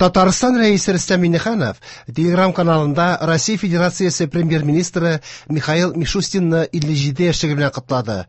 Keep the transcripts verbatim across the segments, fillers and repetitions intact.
Татарстан Рәисе Рөстәм Миңнеханов Телеграм каналында Россия Федерациясе премьер-министры Михаил Мишустинны илле җиде яшьлеге белән котлады.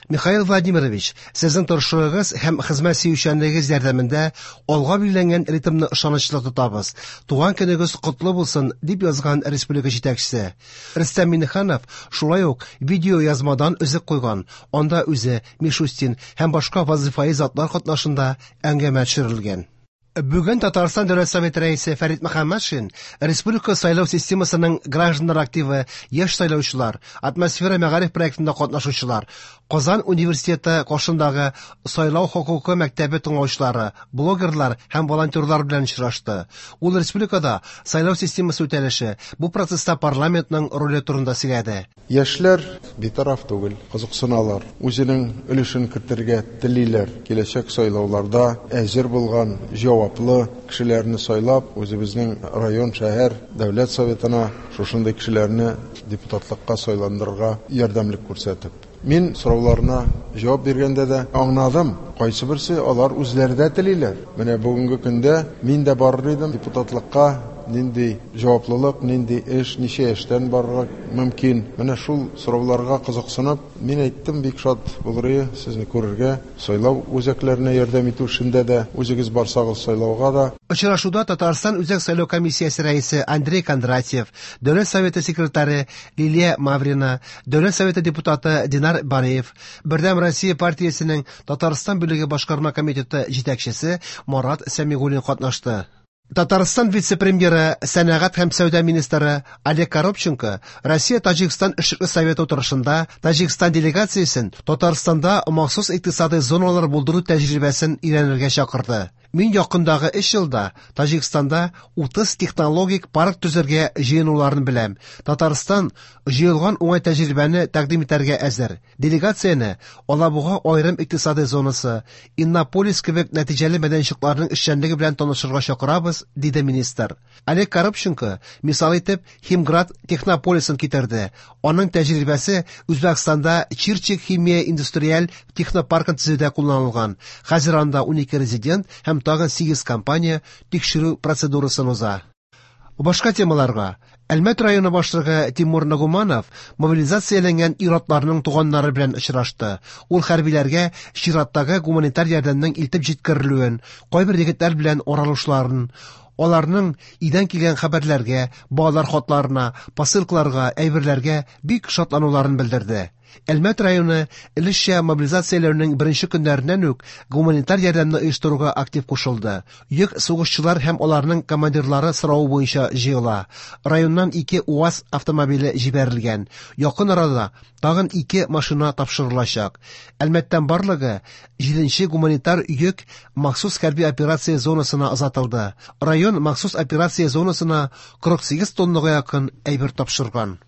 Михаил Владимирович, сезнең тырышлыгыгыз һәм хезмәт сөючәнлегегез ярдәмендә алга билгеләнгән ритмны ышанычлы тотабыз. Туган көнегез котлы булсын, дип язган республика җитәкчесе. Рөстәм Миңнеханов шулай ук видеоязмадан өзек куйган. Анда үзе, Мишустин һәм башка вазифаи затлар катнашында әңгәмә төшерелгән. Бүген Татарстан Дәүләт Советы рәисе Фәрит Мөхәммәтшин республика сайлау системасының гражданнар активы, яшь сайлаучылар, атмосфера мәгариф проектында катнашучылар, Казан университеты каршындагы сайлау хокукы мәктәбе тыңлаучылары, блогерлар һәм волонтерлар белән очрашты. Ул республикада сайлау системасы үтәлеше, бу процесста парламентның роле турында сөйләде. Яшьләр битараф түгел, кызыксыналар, үзенең өлешен кертергә телиләр. Киләчәк сайлауларда әзер булган җаваплы кешеләрне сайлап, үзебезнең район, шәһәр, дәүләт советына шушындый кешеләрне депутатлыкка сайландырырга ярдәмлек күрсәтеп. Мин сорауларына җавап биргәндә дә аңладым, кайсы берсе алар үзләре дә телиләр. Менә бүгенге көндә мин дә барыр идем депутатлыкка, нинди җаваплылык, нинди эш, ничә яшьтән барырга мөмкин. Менә шул сорауларга кызыксынып, мин әйттем, бик шат булыр иде сезне күрергә, сайлау үзәкләренә ярдәм итү эшендә дә, үзегез барсагыз сайлауга да. Очрашуда Татарстан Үзәк сайлау комиссиясе рәисе Андрей Кондратьев, Дәүләт Советы секретаре Лилия Маврина, Дәүләт Советы депутаты Динар Бариев, Бердәм Россия партиясенең Татарстан бүлеге башкарма комитеты җитәкчесе Марат Сәмигуллин катнашты. Татарстан вице-премьеры, сәнәгать һәм сәүдә министры Олег Коробченко Россия-Таҗикстан эшлекле советы утырышында Таҗикстан делегациясен Татарстанда махсус икътисадый зоналар булдыру тәҗрибәсен өйрәнергә чакырды. Мин якындагы өч елда Таҗикстанда утыз технологик парк төзергә җыенуларын беләм. Татарстан җыелган уңай тәҗрибәне тәкъдим итәргә әзер. Делегацияне Алабуга аерым икътисадый зонасы, Иннополис кебек нәтиҗәле мәйданчыкларның эшчәнлеге белән танышырга чакырабыз, диде министр. Олег Коробченко мисал итеп Химград технополисын китерде. Аның тәҗрибәсе Үзбәкстанда Чирчик химия индустриаль технопаркын төзүдә кулланылган. Хәзер анда унике резидент һәм тагын сигез компания тикшерү процедурасын уза. Башка темаларга. Әлмәт районы башлыгы Тимур Нагуманов мобилизацияләнгән ир-атларның туганнары белән очрашты. Ул хәрбиләргә чираттагы гуманитар ярдәмнең илтеп җиткерелүен, кайбер егетләр белән аралашуларын, аларның өйдән килгән хәбәрләргә, балалар хатларына, посылкаларга, әйберләргә бик шатлануларын белдерде. Әлмәт районы өлешчә мобилизацияләүнең беренче көннәреннән үк гуманитар ярдәмне оештыруга актив кушылды. Йөк сугышчылар һәм аларның командирлары соравы буенча җыела. Районнан ике УАЗ автомобиле җибәрелгән. Якын арада тагын ике машина тапшырылачак. Әлмәттән барлыгы җиденче гуманитар йөк махсус хәрби операция зонасына озатылды. Район махсус операция зонасына кырык сигез тоннага якын әйбер тапшырган.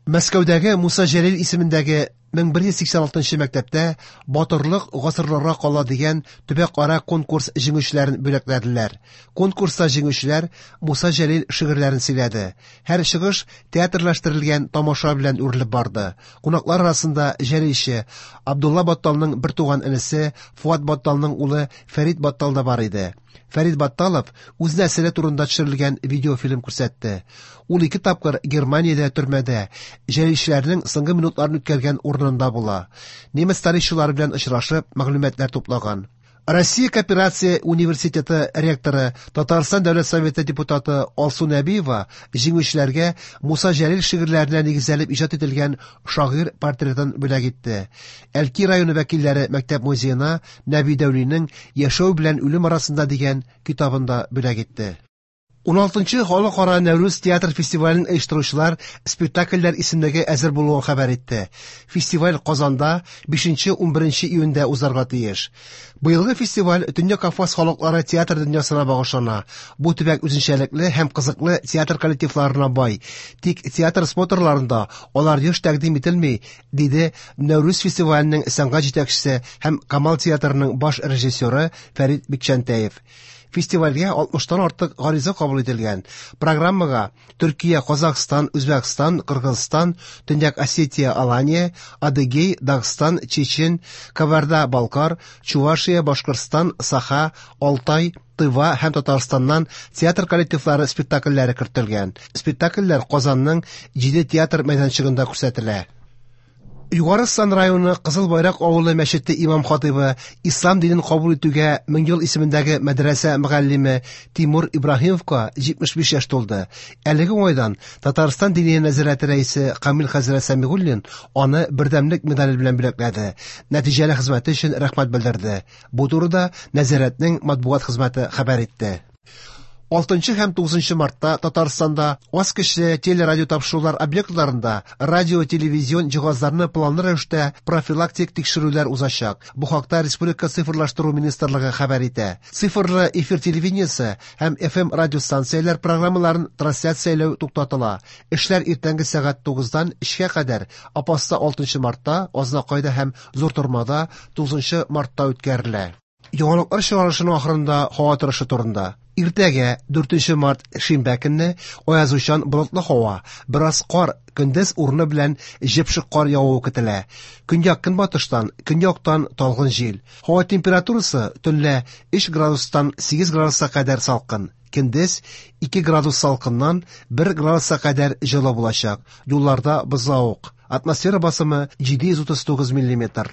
Мәскәүдәге Муса Җәлил исемендәге мең бер йөз сиксән алтынчы мәктәптә Батырлык гасырларга кала дигән төбәкара конкурс җиңүчеләрен бүләкләделәр. Конкурста җиңүчеләр Муса Җәлил шигырьләрен сөйләде. Һәр чыгыш театрлаштырылган тамаша белән үрелеп барды. Кунаклар арасында җәлилче Абдулла Батталның бер туган энесе Фуат Батталның улы Фәрит Баттал да бар иде. Фәрит Батталов үз нәселе турында төшерелгән видеофильм күрсәтте. Ул ике тапкыр Германиядә төрмәдә җәлилчеләрнең соңгы минутларын үткәргән урынында була. Немец тарихчылары белән очрашып мәгълүматлар туплаган. Россия Кооперация университеты ректоры, Татарстан Дәүләт Советы депутаты Алсу Нәбиева җиңүчеләргә Муса Җәлил шигырьләренә нигезләнеп иҗат ителгән шагыйрь портретын бүләк итте. Әлки районы вәкилләре мәктәп музеена Нәби Дәүлинең Яшәү белән үлем арасында дигән китабын да бүләк итте. Уналтынчы халыкара Нәүрүз театр фестивален оештыручылар спектакльләр исемлеге әзер булуын хәбәр итте. Фестиваль Казанда бишенче унберенче июньдә узарга тиеш. Быелгы фестиваль Төньяк Кавказ халыклары театр дөньясына багышлана. Бу төбәк үзенчәлекле һәм кызыклы театр коллективларына бай. Тик театр смотрларында алар еш тәкъдим ителми, диде Нәүрүз фестиваленең сәнгать җитәкчесе һәм Камал театрының баш режиссеры Фәрит Бикчәнтәев. Фестивальгә алтмыштан артык гариза кабул ителгән. Программага Төркия, Казахстан, Үзбәкстан, Кыргызстан, Төньяк Осетия, Алания, Адыгей, Дагстан, Чечен, Кабарда-Балкар, Чувашия, Башкортстан, Саха, Алтай, Тыва һәм Татарстаннан театр коллективлары спектакльләре кертелгән. Спектакльләр Казанның җиде театр мәйданчыгында күрсәтелә. Югары Сан районы Кызыл Байрак авылы мәчете имам хатыйбы, ислам динен кабул итүгә мең ел исемендәге мәдрәсә мөгаллиме Тимур Ибраһимовка җитмеш биш яшь тулды. Әлеге уңайдан Татарстан Диния нәзарәте рәисе Камил хәзрәт Сәмигуллин аны бердәмлек медале белән бүләкләде. Нәтиҗәле хезмәте өчен рәхмәт белдерде. Бу турыда нәзарәтнең матбугат хезмәте хәбәр итте. Алтынчы һәм тугызынчы мартта Татарстанда аз көчле телерадио тапшырулар объектларында радио-телевизион җиһазларны планлы рәвештә профилактик тикшерүләр узачак. Бу хакта Республика цифрлаштыру министрлыгы хәбәр итә. Цифрлы эфир телевидениесе һәм F M радиостанцияләр программаларын трансляцияләү туктатыла. Эшләр иртәнге сәгать тугыздан өчкә кадәр Апаста алтынчы мартта, Азнакайда һәм Зур Тормада тугызынчы мартта үткәрелә. Яңалыклар чыгарылышының ахырында һава торышы турында. Иртәгә дүртенче март шимбә көнне аязучан болытлы һава, бераз кар, көндез урыны белән җепшек кар явуы көтелә. Көньяк көнбатыштан, көньяктан талгын җил. Һава температурасы төнлә өч градустан сигез градуска кадәр салкын. Көндез ике градус салкыннан бер градуска кадәр җылы булачак. Юлларда бозлавык. Атмосфера басымы җиде йөз утыз тугыз миллиметр.